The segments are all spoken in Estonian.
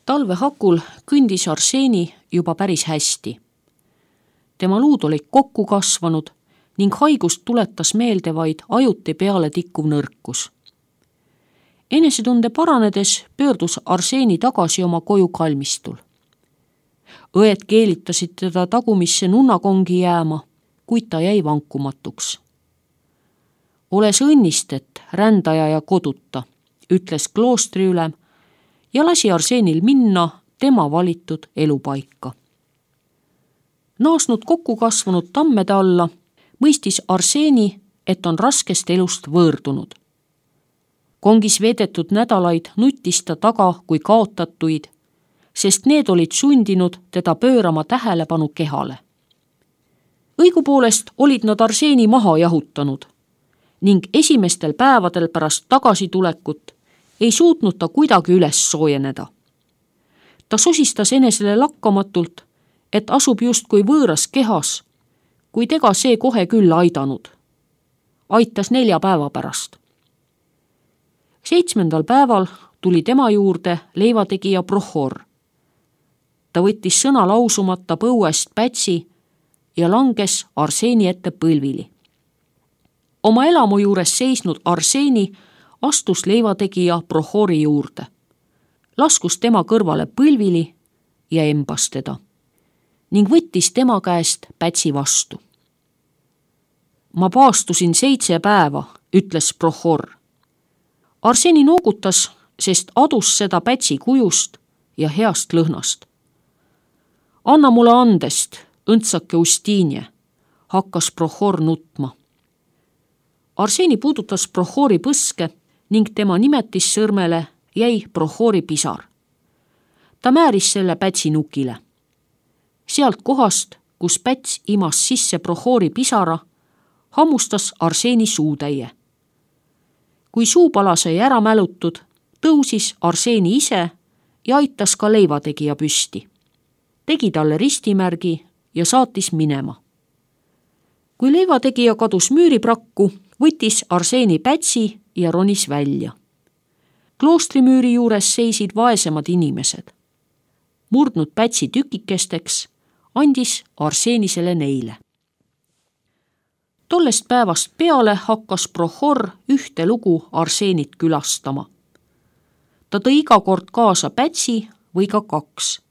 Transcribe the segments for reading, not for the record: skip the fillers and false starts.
Talve hakul kõndis Arseni juba päris hästi. Tema luud olid kokku kasvanud ning haigust tuletas meelde vaid ajuti peale tikkuv nõrkus. Enesetunde paranedes pöördus Arseni tagasi oma koju kalmistul. Õed keelitasid teda tagumisse nunnakongi jääma, kuid ta jäi vankumatuks. Oles õnnistet, rändaja ja koduta, ütles kloostri ülem ja lasi Arsenil minna tema valitud elupaika. Naasnud kokku kasvanud tammede alla mõistis Arseni, et on raskest elust võõrdunud. Kongis veedetud nädalaid nuttis ta taga kui kaotatuid, sest need olid sundinud teda pöörama tähelepanu kehale. Õigupoolest olid nad Arseni maha jahutanud ning esimestel päevadel pärast tagasitulekut ei suutnud ta kuidagi üles soojeneda. Ta sosistas enesele lakkamatult, et asub justkui võõras kehas, kuid ega see kohe küll aidanud. Aitas 4 päeva pärast. 7. päeval tuli tema juurde leivategija Prohor. Ta võttis sõna lausumata põuest pätsi ja langes Arseni ette põlvili. Oma elamu juures seisnud Arseni astus leivategija Prohori juurde. Laskus tema kõrvale põlvili ja embas teda ning võttis tema käest pätsi vastu. Ma paastusin 7 päeva, ütles Prohor. Arseni noogutas, sest adus seda pätsi kujust ja heast lõhnast. Anna mulle andest, õndsake Ustinie, hakkas Prohor nutma. Arseni puudutas Prohori põske ning tema nimetissõrmele jäi Prohori pisar. Ta määris selle pätsi nukile. Sealt kohast, kus päts imas sisse Prohori pisara, hammustas Arseni suutäie. Kui suupala sai ära mälutud, tõusis Arseni ise ja aitas ka leivategija püsti. Tegi talle ristimärgi ja saatis minema. Kui leivategija kadus müüriprakku, võttis Arseni pätsi ja ronis välja. Kloostrimüüri juures seisid vaesemad inimesed. Murdnud pätsi tükikesteks andis Arsenisele neile. Tollest päevast peale hakkas Prohor ühte lugu Arsenit külastama. Ta tõi iga kord kaasa pätsi või ka 2.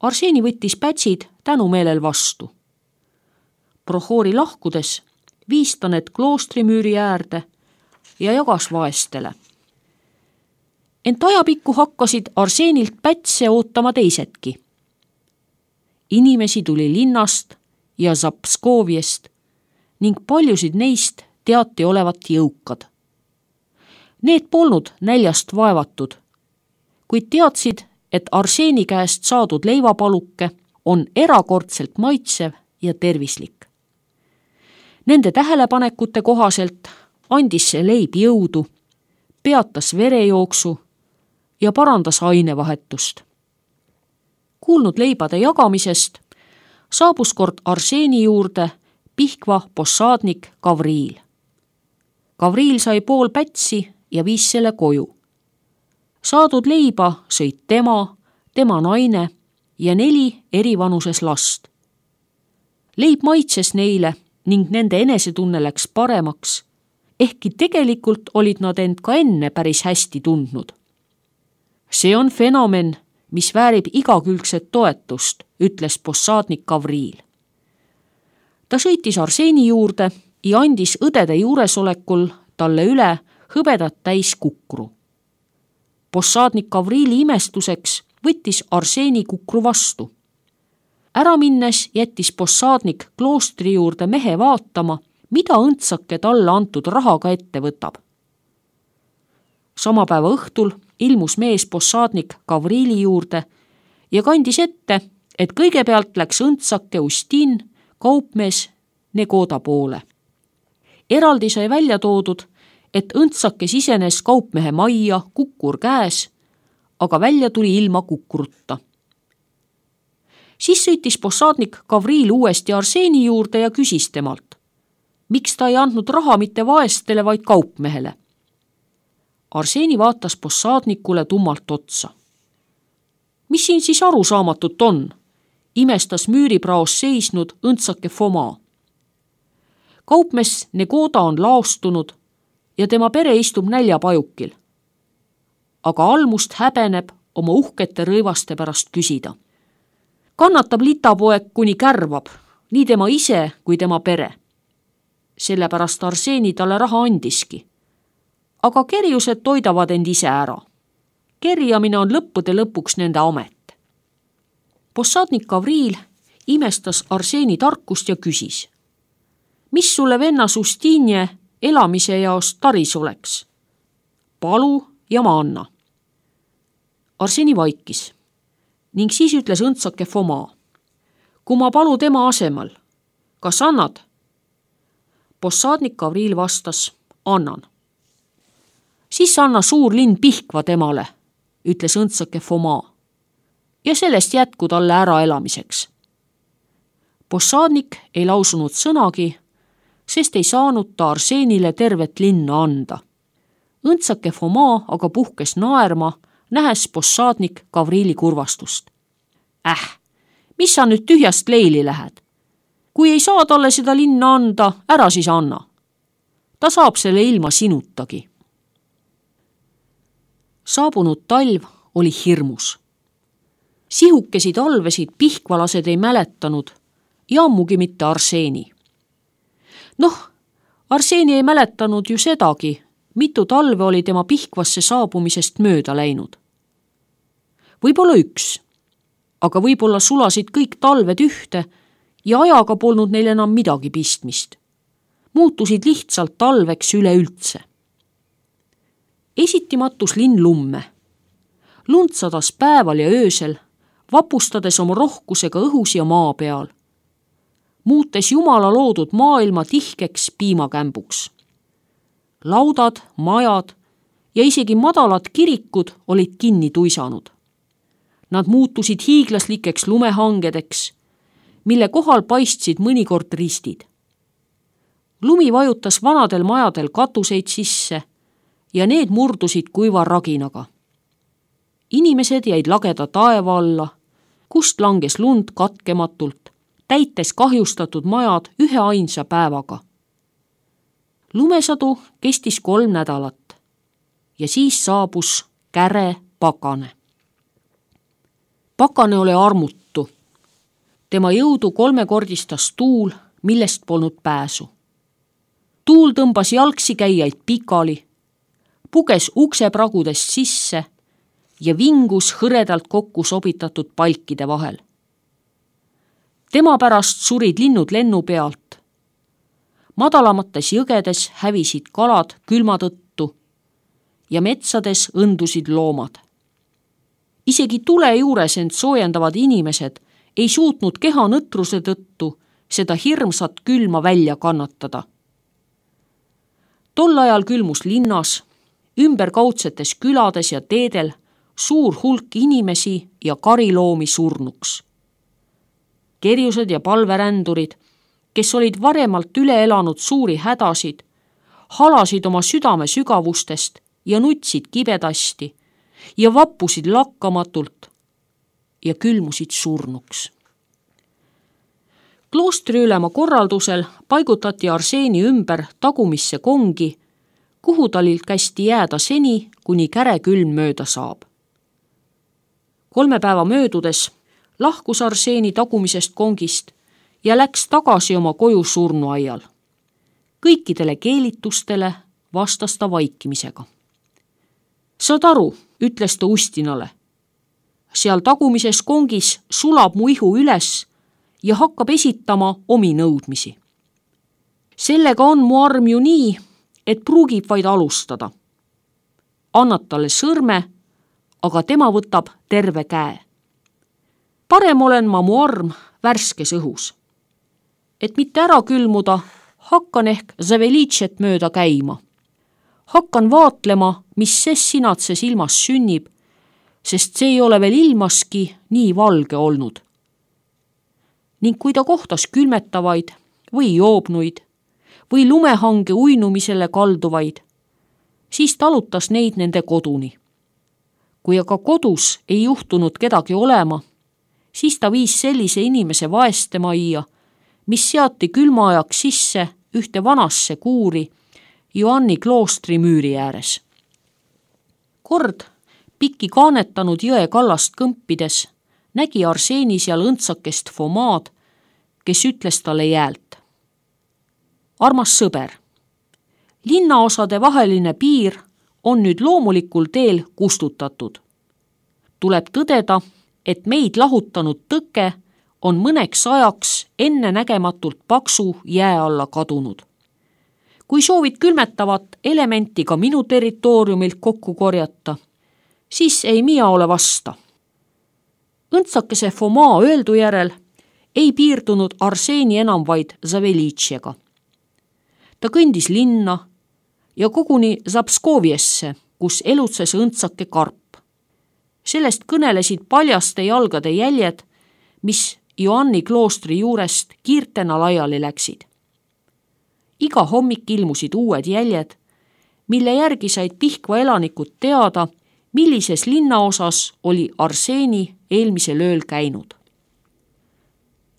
Arseni võttis pätsid tänumeelel vastu. Prohori lahkudes viis ta need kloostrimüüri äärde ja jagas vaestele. Ent ajapikku hakkasid Arsenilt pätse ootama teisedki. Inimesi tuli linnast ja Zapskoviest ning paljusid neist teati olevat jõukad. Need polnud näljast vaevatud, kuid teadsid, et Arseni käest saadud leivapaluke on erakordselt maitsev ja tervislik. Nende tähelepanekute kohaselt andis see leib jõudu, peatas verejooksu ja parandas ainevahetust. Kuulnud leibade jagamisest saabus kord Arseni juurde Pihkva possaadnik Gavriil. Gavriil sai pool pätsi ja viis selle koju. Saadud leiba sõid tema naine ja 4 erivanuses last. Leib maitses neile ning nende enesetunne läks paremaks, ehkki tegelikult olid nad end ka enne päris hästi tundnud. See on fenomen, mis väärib igakülgset toetust, ütles possaadnik Gavriil. Ta sõitis Arseni juurde ja andis õdede juuresolekul talle üle hõbedat täis kukru. Possaadnik Gavriili imestuseks võttis Arseni kukru vastu. Ära minnes jättis possaadnik kloostri juurde mehe vaatama, mida õndsake talle antud rahaga ette võtab. Sama päeva õhtul ilmus mees possaadnik Gavriili juurde ja kandis ette, et kõigepealt läks õndsake Ustin kaupmees Negoda poole. Eraldi sai välja toodud, et õndsake sisenes kaupmehe majja kukkur käes, aga välja tuli ilma kukurutta. Siis sõitis possaadnik Gavriil uuesti Arseni juurde ja küsis temalt, miks ta ei andnud raha mitte vaestele, vaid kaupmehele. Arseni vaatas possaadnikule tummalt otsa. Mis siin siis arusaamatut on? Imestas müüripraos seisnud õndsake Foma. Kaupmees Negoda on laostunud ja tema pere istub näljapajukil. Aga almust häbeneb oma uhkete rõivaste pärast küsida. Kannatab litapoeg, kuni kärvab, nii tema ise kui tema pere. Sellepärast Arseeni talle raha andiski. Aga kerjused toidavad end ise ära. Kerjamine on lõppude lõpuks nende amet. Possadnik Gavril imestas Arseeni tarkust ja küsis. Mis sulle venna Sustinje elamise jaos taris oleks? Palu ja ma anna. Arseeni vaikis ning siis ütles õndsake Foma. Kui ma palu tema asemel, kas annad? Possadnik Gavril vastas, annan. Siis anna suur linn Pihkva temale, ütles õndsake Foma, ja sellest jätku talle äraelamiseks. Possadnik ei lausunud sõnagi, sest ei saanud ta Arseenile tervet linna anda. Õndsake Foma aga puhkes naerma, nähes possadnik Gavrili kurvastust. Mis sa nüüd tühjast leili lähed? Kui ei saa talle seda linna anda, ära siis anna. Ta saab selle ilma sinutagi. Saabunud talv oli hirmus. Sihukesi talvesid pihkvalased ei mäletanud ja ammugi mitte Arseeni. Arseeni ei mäletanud ju sedagi, mitu talve oli tema Pihkvasse saabumisest mööda läinud. Võib-olla üks, aga võib-olla sulasid kõik talved ühte ja ajaga polnud neil enam midagi pistmist. Muutusid lihtsalt talveks üleüldse. Esiti matus linn lumme. Lund sadas päeval ja öösel, vapustades oma rohkusega õhus ja maa peal. Muutes Jumala loodud maailma tihkeks piimakämbuks. Laudad, majad ja isegi madalad kirikud olid kinni tuisanud. Nad muutusid hiiglaslikeks lumehangedeks, mille kohal paistsid mõnikord ristid. Lumi vajutas vanadel majadel katuseid sisse ja need murdusid kuiva raginaga. Inimesed jäid lageda taeva alla, kust langes lund katkematult, täites kahjustatud majad ühe ainsa päevaga. Lumesadu kestis 3 nädalat ja siis saabus käre Pakane. Pakane oli armutu. Tema jõudu 3-kordistas tuul, millest polnud pääsu. Tuul tõmbas jalgsi käijaid pikali, puges uksepragudest sisse ja vingus hõredalt kokku sobitatud palkide vahel. Tema pärast surid linnud lennu pealt. Madalamates jõgedes hävisid kalad külma tõttu ja metsades õndusid loomad. Isegi tule juures end soojendavad inimesed ei suutnud keha nõtruse tõttu seda hirmsat külma välja kannatada. Tol ajal külmus linnas, ümberkaudsetes külades ja teedel suur hulk inimesi ja kariloomi surnuks. Kerjused ja palverändurid, kes olid varemalt üle elanud suuri hädasid, halasid oma südame sügavustest ja nutsid kibedasti ja vappusid lakkamatult ja külmusid surnuks. Kloostriülema korraldusel paigutati Arseeni ümber tagumisse kongi, kuhu talil kästi jääda seni, kuni käre külm mööda saab. 3 päeva möödudes lahkus Arseeni tagumisest kongist ja läks tagasi oma koju surnuaial. Kõikidele keelitustele vastas ta vaikimisega. Saad aru, ütles ta Ustinale. Seal tagumises kongis sulab mu ihu üles ja hakkab esitama omi nõudmisi. Sellega on mu arm ju nii, et pruugib vaid alustada. Annad talle sõrme, aga tema võtab terve käe. Parem olen ma mu arm värskes õhus. Et mitte ära külmuda, hakkan ehk Zavelitšet mööda käima. Hakkan vaatlema, mis ses sinatses ilmas sünnib, sest see ei ole veel ilmaski nii valge olnud. Ning kui ta kohtas külmetavaid või joobnuid või lumehange uinumisele kalduvaid, siis talutas neid nende koduni. kui aga kodus ei juhtunud kedagi olema, siis ta viis sellise inimese vaestemajja, mis seati külma ajaks sisse ühte vanasse kuuri Joanni kloostri müüri ääres. Kord pikki kaanetanud jõe kallast kõmpides nägi Arseni seal õndsakest Fomaad, kes ütles talle jäält. Armas sõber, linnaosade vaheline piir on nüüd loomulikul teel kustutatud. Tuleb tõdeda, et meid lahutanud tõke on mõneks ajaks ennenägematult paksu jää alla kadunud. Kui soovid külmetavat elementi ka minu territooriumilt kokku korjata, siis ei mina ole vasta. Õndsakese Fomaa öeldu järel ei piirdunud Arseni enam vaid Zavelitšega. Ta kõndis linna ja koguni Zapskoviesse, kus elutses õndsake karp. Sellest kõnelesid paljaste jalgade jäljed, mis Joanni kloostri juurest kiirtena laiali läksid. Iga hommik ilmusid uued jäljed, mille järgi said Pihkva elanikud teada, millises linnaosas oli Arseni eelmisel ööl käinud.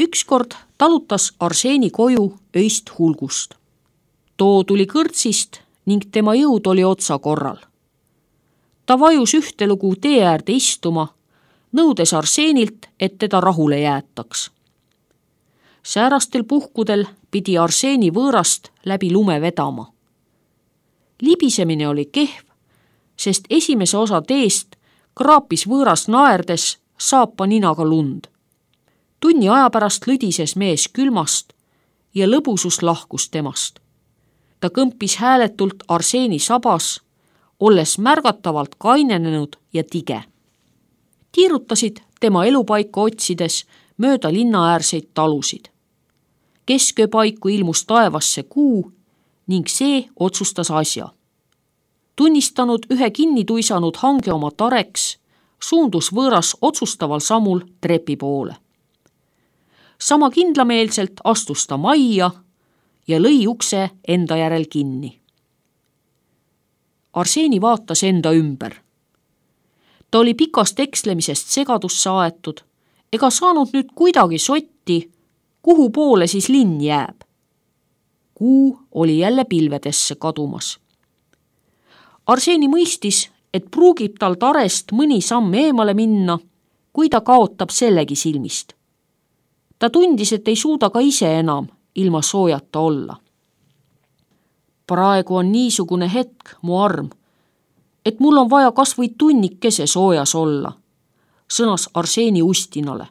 Ükskord talutas Arseni koju öist hulgust. Too tuli kõrtsist ning tema jõud oli otsa korral. Ta vajus ühtelugu tee äärde istuma, nõudes Arsenilt, et teda rahule jäetaks. Säärastel puhkudel pidi Arseni võõrast läbi lume vedama. Libisemine oli kehv, sest esimese osa teest kraapis võõras naerdes saapa ninaga lund. Tunni aja pärast lõdises mees külmast ja lõbusus lahkus temast. Ta kõmpis hääletult Arseni sabas, olles märgatavalt kainenenud ja tige. Tiirutasid tema elupaika otsides mööda linnaäärseid talusid. Kesköö paiku ilmus taevasse kuu ning see otsustas asja. Tunnistanud ühe kinni tuisanud hange oma tareks, suundus võõras otsustaval sammul trepi poole. Sama kindlameelselt astus ta majja ja lõi ukse enda järel kinni. Arseni vaatas enda ümber. Ta oli pikast ekslemisest segadusse aetud ega saanud nüüd kuidagi sotti, kuhu poole siis linn jääb. Kuu oli jälle pilvedesse kadumas. Arseni mõistis, et pruugib tal tarest mõni samm eemale minna, kui ta kaotab sellegi silmist. Ta tundis, et ei suuda ka ise enam ilma soojata olla. Praegu on niisugune hetk, mu arm, et mul on vaja kas või tunnikese soojas olla, sõnas Arseni Ustinale.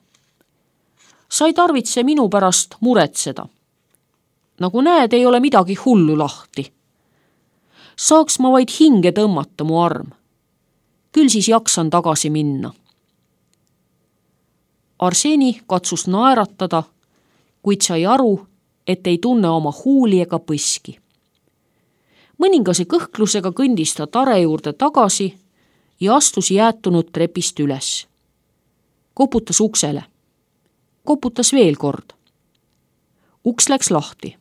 Sa ei tarvitse minu pärast muretseda. Nagu näed, ei ole midagi hullu lahti. Saaks ma vaid hinge tõmmata, mu arm. Küll siis jaksan tagasi minna. Arseni katsus naeratada, kuid sai aru, et ei tunne oma huuli ega põski. Mõningase kõhklusega kõndis ta tare juurde tagasi ja astus jäätunud trepist üles. Koputas uksele. Koputas veel kord. Uks läks lahti.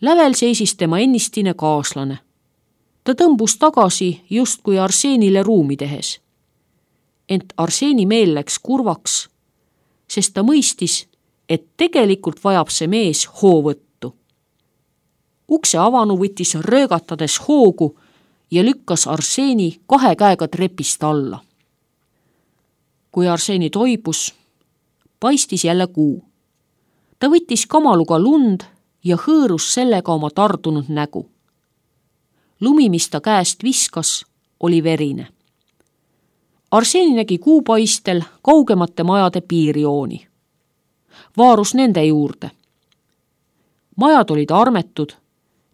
Lävel seisis tema ennistine kaaslane. Ta tõmbus tagasi justkui Arsenile ruumi tehes. Ent Arseni meel läks kurvaks, sest ta mõistis, et tegelikult vajab see mees hoovõttu. Ukse avanu võttis röögatades hoogu ja lükkas Arseni 2 käega trepist alla. Kui Arseni toibus, paistis jälle kuu. Ta võttis kamaluga lund ja hõõrus sellega oma tardunud nägu. Lumi, mis ta käest viskas, oli verine. Arseni nägi kuupaistel kaugemate majade piirjooni. Vaarus nende juurde. Majad olid armetud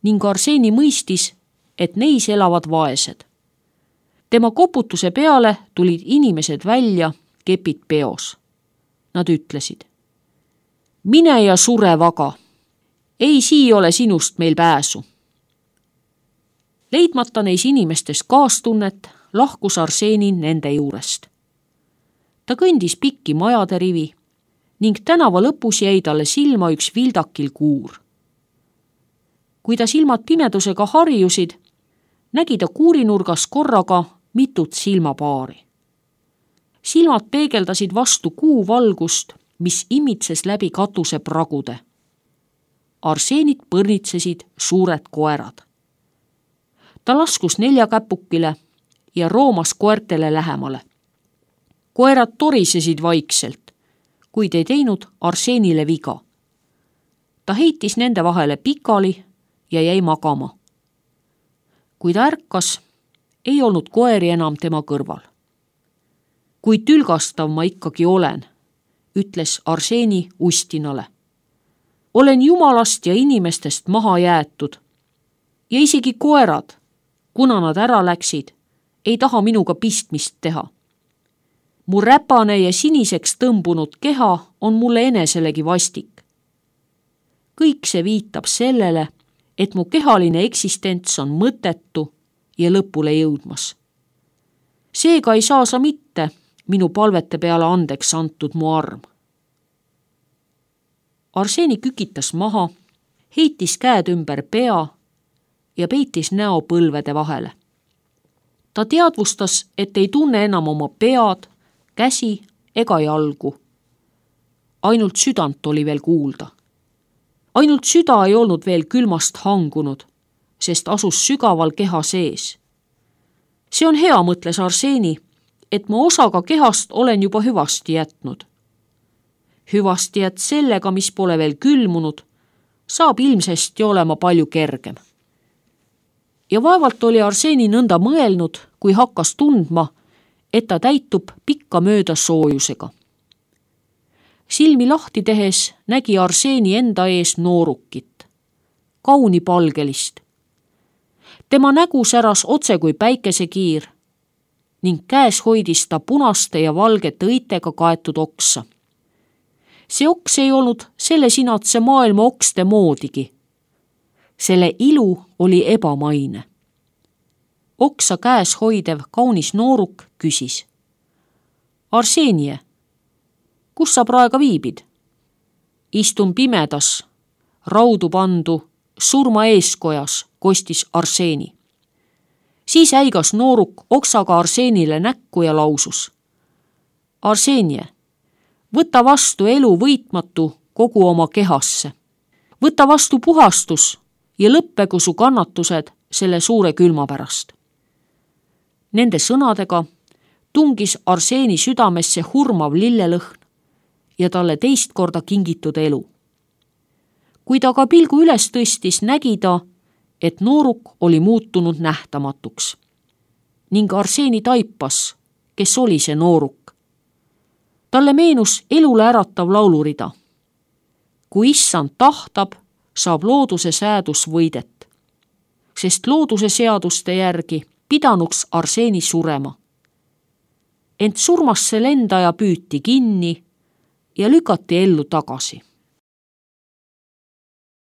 ning Arseni mõistis, et neis elavad vaesed. Tema koputuse peale tulid inimesed välja, kepid peos. Nad ütlesid: mine ja sure vaga. Ei sii ole sinust meil pääsu. Leidmata neis inimestes kaastunnet, lahkus Arseni nende juurest. Ta kõndis pikki majade rivi ning tänava lõpus jäi talle silma üks vildakil kuur. Kui ta silmad pimedusega harjusid, nägi ta kuurinurgas korraga mitut silmapaari. Silmad peegeldasid vastu kuu valgust, mis imitses läbi katuse pragude. Arseenit põrnitsesid suured koerad. Ta laskus neljakäpukile ja roomas koertele lähemale. Koerad torisesid vaikselt, kuid ei teinud Arseenile viga. Ta heitis nende vahele pikali ja jäi magama. Kui ta ärkas, ei olnud koeri enam tema kõrval. Kui tülgastav ma ikkagi olen, ütles Arseeni Ustinale. Olen jumalast ja inimestest maha jäetud ja isegi koerad, kuna nad ära läksid, ei taha minuga pistmist teha. Mu räpane ja siniseks tõmbunud keha on mulle eneselegi vastik. Kõik see viitab sellele, et mu kehaline eksistents on mõttetu ja lõpule jõudmas. Seega ei saa sa mitte minu palvete peale andeks antud mu arm. Arseeni kükitas maha, heitis käed ümber pea ja peitis näo põlvede vahele. Ta teadvustas, et ei tunne enam oma pead, käsi ega jalgu. Ainult südant oli veel kuulda. Ainult süda ei olnud veel külmast hangunud, sest asus sügaval keha sees. See on hea, mõtles Arseeni, et ma osaga kehast olen juba hüvasti jätnud. Hüvasti jät sellega, mis pole veel külmunud, saab ilmsesti olema palju kergem. Ja vaevalt oli Arseeni nõnda mõelnud, kui hakkas tundma, et ta täitub pikka mööda soojusega. Silmi lahti tehes nägi Arseeni enda ees noorukit, kaunipalgelist. Tema nägu säras otse kui päikesekiir ning käes hoidis ta punaste ja valgete õitega kaetud oksa. See oks ei olnud selle sinatse maailma okste moodigi. Selle ilu oli ebamaine. Oksa käes hoidev kaunis nooruk küsis. Arseenie, kus sa praegu viibid? Istun pimedas, raudu pandu, surma eeskojas, kostis Arseeni. Siis äigas nooruk oksaga Arseenile näkku ja lausus. Arseenie, võta vastu elu võitmatu kogu oma kehasse. Võta vastu puhastus ja lõppegu su kannatused selle suure külma pärast. Nende sõnadega tungis Arseeni südamesse hurmav lillelõhn ja talle teist korda kingitud elu. Kui ta ka pilgu üles tõstis, nägi ta, et nooruk oli muutunud nähtamatuks. Ning Arseeni taipas, kes oli see nooruk. Talle meenus elule äratav laulurida. Kui issand tahtab, saab looduse säädus võidet, sest looduse seaduste järgi pidanuks Arseeni surema. Ent surmasse lendaja püüti kinni ja lükati ellu tagasi.